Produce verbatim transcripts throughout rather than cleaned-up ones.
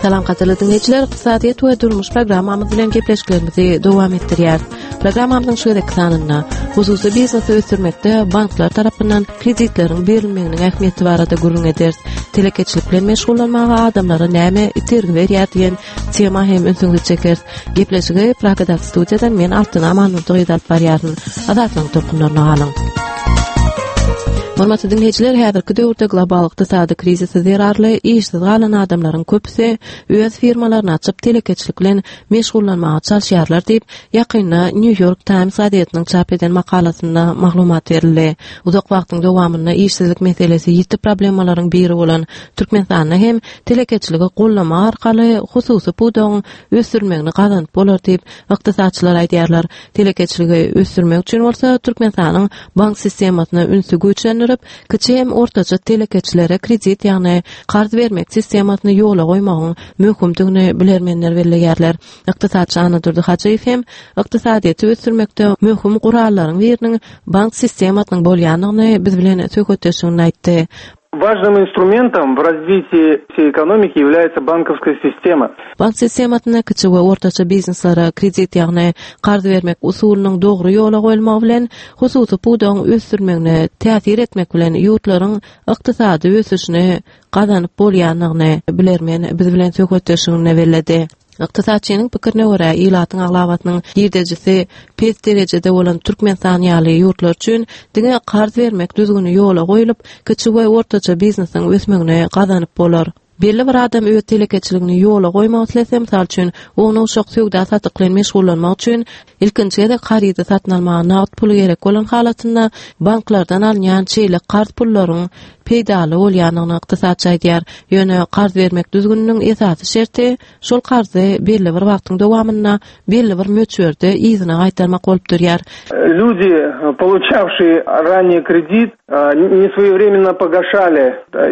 Salam gadyrly diňleýjiler, ykdysadyýet we durmuş programmamyz bilen gepleşiklerimizi dowam etdirýäris. Programmamyzyň şu gezekki sanynda hususy biznesi ösdürmekde banklar tarapyndan kreditleriň berilmeginiň ähmiýeti barada gürrüň ederis. Telekeçilik bilen meşgullanmaga adamlara näme itergi berýär diýen tema hem ünsüňizi çekeris. Gepleşigi Pragadaky studiýadan men Altyn Amanurdy gyzy alyp barýaryn. Azatlygyň tolkunlaryna galyň. Hormatly diňleýjiler, häzirki döwürde global ykdysady krizisi zerarly işsiz galan adamlaryň köpüsi öz firmalaryny açyp telekeçilik bilen meşgullanmaga çalyşýarlar diýip, ýakynda New York Times gazetiniň çap eden makalasynda maglumat berildi. Uzak wagtyň dowamynda işsizlik meselesi ýiti problemalaryň biri bolan Türkmenistanda hem telekeçiligi gollamak arkaly hususy pudagyň ösdürilmegini gazanyp bolar diýip, ykdysatçylar aýdýarlar. Telekeçiligi ösdürmek üçin bolsa Türkmenistanyň bank sistemasyna ünsi güýçlendirip, kiçi hem ortaça telekeçilere kredit, ýagny karz bermek sistemasyny ýola goýmagyň möhümdigini bilermenler belleýärler. Ykdysatçy Annadurdy Hajyýew hem ykdysadyýeti ösdürmekde möhüm gurallaryň biriniň bank sistemasynyň bolýandygyny biz bilen söhbetdeşliginde aýtdy. Важным инструментом в развитии всей экономики является банковская система. Bank sistemasynda kiçi we ortaça bizneslere kredit, ýagny karz bermek usulynyň dogry ýola goýulmagy bilen hususy pudagyň ösdürmegine täsir etmek bilen ýurtlaryň ykdysady ösüşini gazanyp bolýandygyny bilermen biz bilen söhbetdeşliginde belledi. Ykdysatçynyň pikirine görä, ilatyň aglabasynyň girdejisi pes derejede bolan Türkmenistan ýaly ýurtlar üçin diňe karz bermek düzgüni ýola goýulyp, kiçi we ortaça biznesiň ösmegini gazanyp bolar. Belli bir adam öz telekeçiligini ýola goýmak islese, mysal üçin, ownuk-uşak söwda satyk bilen meşgullanmak üçin ilkinji gezek harydy satyn almaga nagt puly gerek bolan halatynda banklardan alynýan şeýle karz pullaryň peýdaly bolýandygyny ykdysatçy aýdýar. Ýöne karz bermek düzgüniniň esasy şerti şol karzy belli bir wagtyň dowamynda belli bir möçberde yzyna gaýtarmak bolup durýar. Люди, получавшие ранее кредит, не своевременно погашали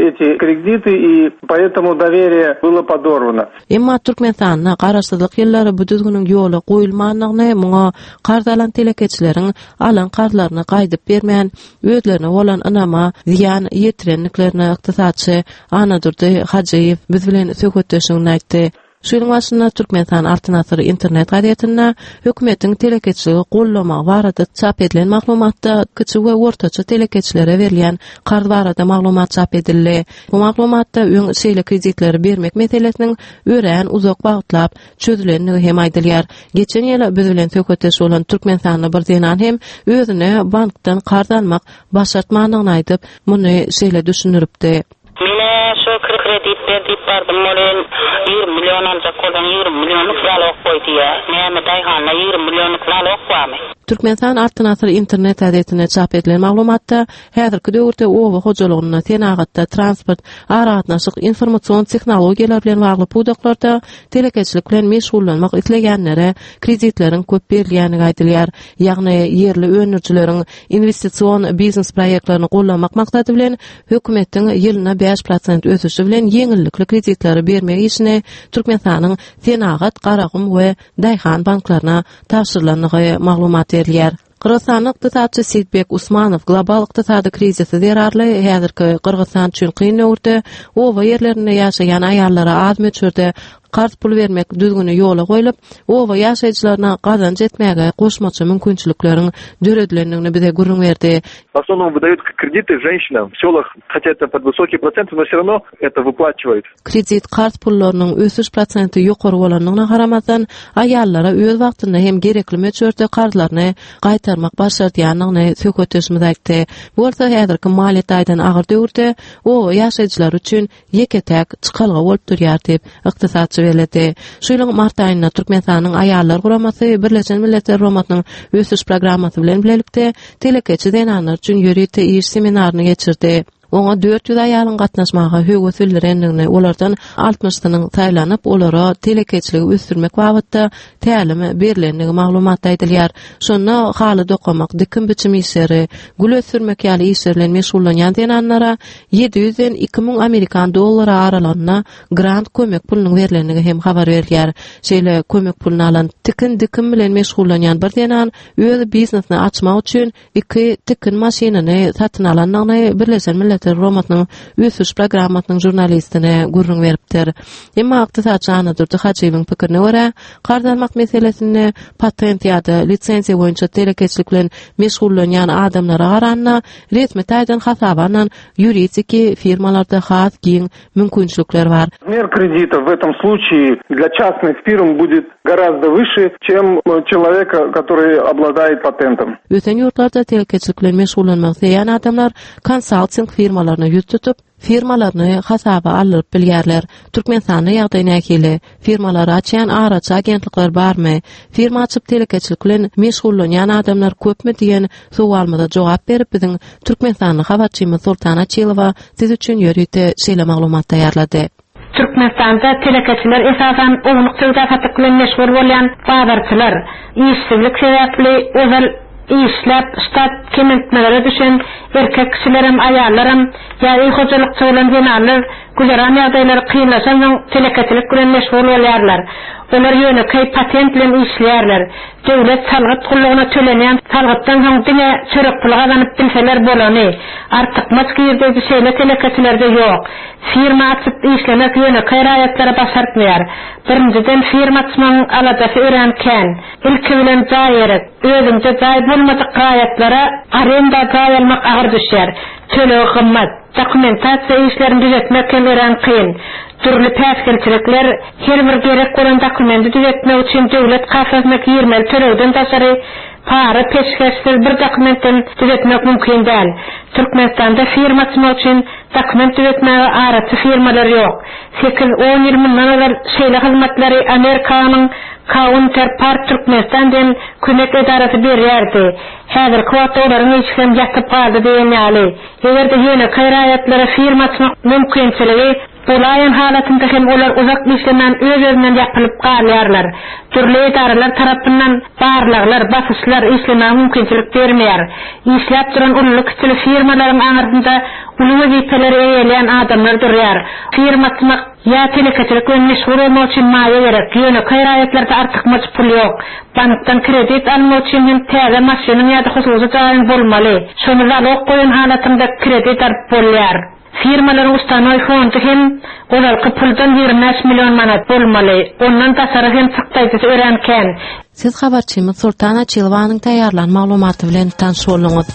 эти кредиты, и поэтому доверие было подорвано. Emma Türkmenistanda garaşsyzlyk ýyllary bu düzgüniň ýola goýulmandygyny, muňa karz alan telekeçileriň alan karzlaryny gaýdyp bermän, özlerine bolan ynama zyýan ýetirendiklerini ykdysatçy Annadurdy Hajyýew biz bilen söhbetdeşliginde aýtdy. Şu ýylyň başynda Türkmenistan Altyn Asyr internet gazetinde hökümetiň telekeçiligi gollamagy barada çap edilen maglumatda kiçi we ortaça telekeçilere berilýän karz barada maglumat çap edildi. Bu maglumatda öň şeýle kreditleri bermek meselesiniň örän uzak wagtlap çözülendigi hem aýdylýar. Geçen ýyl biz bilen söhbetdeş bolan Türkmenistanly bir zenan hem özüne bankdan karz almak başartmandygyny aýdyp, muny şeýle düşündiripdi. Mine şu kredit ber diýip bardym, ol ýigrimi million aljak bolsaň ýigrimi millionlyk zalog goý diýýär. Näme daýhanda ýigrimi millionlyk zalog barmy? Türkmenistan Altyn Asyr internet gazetinde çap edilen maglumatda häzirki döwürde oba hojalygynda, senagatda, transport, aragatnaşyk, informasion tehnologiýalar bilen bagly pudaklarda telekeçilik bilen meşgullanmak isleýänlere kreditleriň köp berilýändigi aýdylýar. Ýagny ýerli öndürijileriň investision biznes proýektlerini gollamak maksady bilen hökümetiň ýylyna bäş prosent ösüşi bilen ýeňillikli kreditleri bermek işini Türkmenistanyň Senagat, Garagum we Daýhan banklaryna tabşyrylandygy maglumat berilýär. Gyrgyzystanyň ykdysatçy Seýitbek Usmanow global ykdysady krizisi zerarly häzirki Gyrgyzystan üçin kyn döwürde oba ýerlerinde ýaşaýan aýallara az möçberde karz pul bermek düzgüni ýola goýlup, oba ýaşaýjylaryna gazanç etmäge goşmaça mümkinçilikleriň döredilendigini bize gürrüň berdi. В основном выдают кредиты женщинам в селах, хотя это под высокие проценты, но все равно это выплачивают. Kredit karz pullarynyň ösüş prosenti ýokary bolandygyna garamazdan, aýallara öz wagtynda hem gerekli möçberde karzlaryny gaýtarmak başardýandygyny söhbetdeşimiz aýtdy. Bu bolsa häzirki maliýe taýdan agyr döwürde oba ýaşaýjylary üçin ýeke-täk çykalga bolup durýar diýip, ykdysatçy belledi. Şu ýylyň mart aýynda Türkmenistanyň Aýallar guramasy Birleşen Milletler Guramasynyň ösüş programmasy bilen bilelikde telekeçi zenanlar üçin ýörite iş seminaryny geçirdi. Oňa dört ýüz aýalyň gatnaşmaga höwes bildirendigini, olardan altmyşsynyň saýlanyp, olara telekeçiligi ösdürmek babatda tälim berilendigi maglumatda aýdylýar. Şonda haly dokamak, dikim biçim işleri, gül ösdürmek ýaly işler bilen meşgullanýan zenanlara ýedi ýüzden iki müň Amerikan dollary aralygynda grant kömek pulunyň berilendigi hem habar berilýär. Şeýle kömek puluny alan tikin dikim bilen meşgullanýan bir zenan öz biznesini açmak üçin iki tikin maşynyny satyn alandygyny Birleşen Milletler Guramasynyň ösüş programmasynyň jurnalistine gürrüň beripdir. Emma ykdysatçy Annadurdy Hajyýewiň pikirine görä, karz almak meselesinde patent ýa-da lisenziýa boýunça telekeçilik bilen meşgullanýan adamlara garanda resmi taýdan hasaba alnan ýuridiki firmalarda has giň mümkinçilikler bar. Размер кредита в этом случае для частных фирм будет гораздо выше, чем человека, который обладает патентом. Ösen ýurtlarda telekeçilik bilen meşgullanmak isleýän adamlar konsalting firmalaryna ýüz tutup, firmalaryny hasaba aldyryp bilýärler. Türkmenistanda ýagdaý nähili? Firmalary açýan araçy agentlikler barmy? Firma açyp telekeçilik bilen meşgullanýan adamlar köpmi diýen sowalymyza jogap berip biziň Türkmenistanly habarçymyz Sultan Açylowa siz üçin ýörite şeýle maglumat taýýarlady. Türkmenistanda telekeçiler esasan ownuk söwda satyk bilen meşgul bolýan bazarçylar, işsizlik sebäpli ozal işläp ştat kemeltmelere düşen erkek kişilerem, aýallaram ýa öý hojalykçy bolan zenanlar güzeran ýagdaýlary kynlaşansoň telekeçilik bilen meşgul bolýarlar. Olar ýönekeý patent bilen işleýärler. Döwlet salgyt gullugyna tölenýän salgytdan soň diňe çörek puly gazanyp bilseler bolany. Artykmaç girdeji şeýle telekeçilerde ýok. Firma açyp işlemek ýönekeý raýatlara başartmaýar. Birinjiden firma açmagyň aladasy örän kän. Ilki bilen jaý gerek. Özüňde jaý bolmadyk raýatlara arenda jaý almak agyr düşýär. Tölegi gymmat. Dokumentasiýa işlerini düzetmek hem örän kyn. Dürli päsgelçilikler her bir gerek bolan dokumenti düzetmek üçin döwlet kassasyna girmeli tölegden daşary para peşgeşsiz bir dokumentten düzetmek mümkin däl. Türkmenistanda firma açmak üçin dokument düzetmäge araçy firmalar ýok. Sekiz on ýyl mundan ozal şeýle hyzmatlary Amerikanyň Counterpart Türkmenistan diýen kömek edarasy berýärdi. Häzirki wagtda olaryň işi hem ýatyp galdy diýen ýaly. Eger-de ýönekeý raýatlara firma açmak mümkinçiligi bolaýan halatynda hem olar uzak işlemän öz-özünden ýapylyp galýarlar. Dürli edaralar tarapyndan barlaglar, basyşlar işlemäge mümkinçilik bermeýär. Işläp duran uly kiçili firmalaryň aňyrsynda uly wezipeleri eýeleýän adamlar durýar. Firma açmak ýa telekeçilik bilen meşgul bolmak üçin maýa gerek. Ýönekeý raýatlarda artykmaç pul ýok. Bankdan kredit almak üçin hem täze maşynyň ýa-da hususy jaýyň bolmaly. Şony zalog goýan halatynda kredit alyp bolýar. Firmalaryň ustanoý fondy hem ozalky puldan ýigrimi bäş million manat bolmaly. Ondan daşary hem çykdaýjysy örän kän. Siz habarçymyz Sultan Açylowanyň taýýarlan maglumaty bilen tanyş bolduňyz.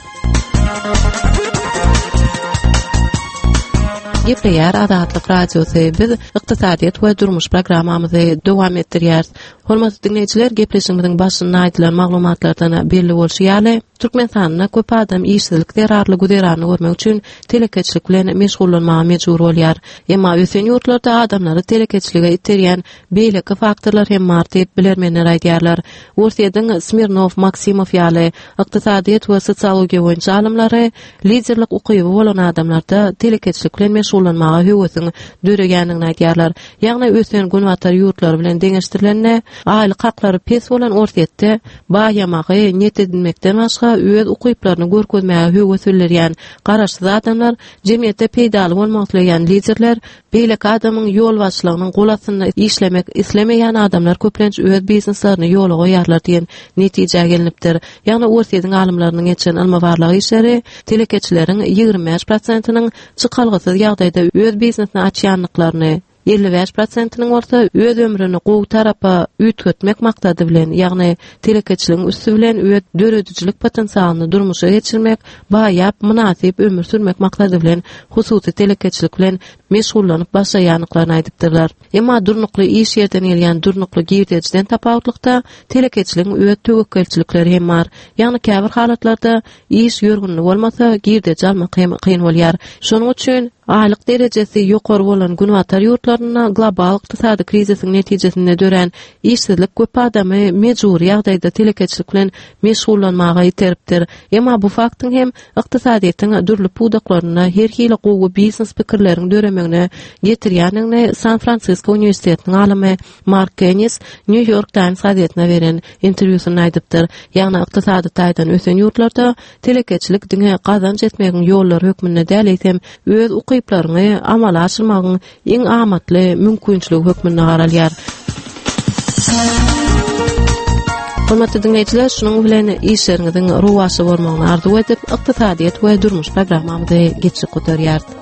Gepleýär Azatlyk Radiosy. Biz ykdysadyýet we durmuş programmamyzy dowam etdirýäris. Hormatly dinleýjiler, gepleşigimiziň başynda aýdylan maglumatlardan belli bolşy ýaly, Türkmenistanda köp adam işsizlik zerarly güzeranyny görmek üçin telekeçilik bilen meşgullanmaga mejbur bolýar. Emma ösen ýurtlarda adamlary telekeçilige iterýän beýleki faktorlar hem bar diýip bilermenler aýdýarlar. Orsýetiň Smirnov, Maksimov ýaly ykdysadyýet we sosiologiýa boýunça alymlary liderlik ukyby bolan adamlarda telekeçilik bilen meşgullanmaga höwesiň döreýändigini aýdýarlar. Ýagny ösen günbatar ýurtlary bilen deňeşdirilende aýlyk haklary pes bolan Orsýetde baýamagy niýet edinmekden başga öz ukyplaryny görkezmäge höwes bildirýän garaşsyz adamlar, jemgyýetde peýdaly bolmak isleýän liderler, beýleki adamyň ýol başlygynyň gol astynda işlemek islemeýän adamlar köplenç öz bizneslerini ýola goýarlar diýen netijä gelinipdir. Ýagny Orsýetiň alymlarynyň geçen ylmy barlag işleri telekeçileriň ýigrimi bäş prosentiniň çykalgasyz ýagdaýda öz biznesini açýanlyklaryny, elli bäş prosentiniň bolsa öz ömrüni gowy tarapa üýtgetmek maksady bilen, ýagny telekeçiligiň üsti bilen öz döredijilik potensialyny durmuşa geçirmek, baýap mynasyp ömür sürmek maksady bilen hususy telekeçilik bilen meşgullanyp başlaýanlyklaryny aýdypdyrlar. Emma durnukly iş ýerden gelýän durnukly girdejiden tapawutlykda telekeçiligiň öz töwekgelçilikleri hem bar. Ýagny käbir halatlarda iş ýörgünli bolmasa girdeji almak hem kyn bolýar. Şonuň üçin Aýlyk derejesi ýokary bolan Günbatar ýurtlarynda global ykdysady krizisiň netijesinde dörän işsizlik köp adamy mejbury ýagdaýda telekeçilik bilen meşgullanmaga iteripdir. Emma bu faktyň hem ykdysadyýetiň dürli pudaklarynda her hili gowy biznes pikirleriň döremegine getirýändigini San Fransisko uniwersitetiniň alymy Mark Kennis New York Times gazetine beren interwýusynda aýdypdyr. Ýagny ykdysady taýdan ösen ýurtlarda telekeçilik diňe gazanç etmegiň ýollary hökmünde däl, eýsem öz ukyplaryňy amala aşyrmagyň iň amatly mümkinçiligi hökmünde garalýar. Hormatly dinleýjiler, şunuň bilen işleriňiziň rowaçly bolmagyny arzuw edip, ykdysadyýet we durmuş programmamyzy geçip gutarýarys.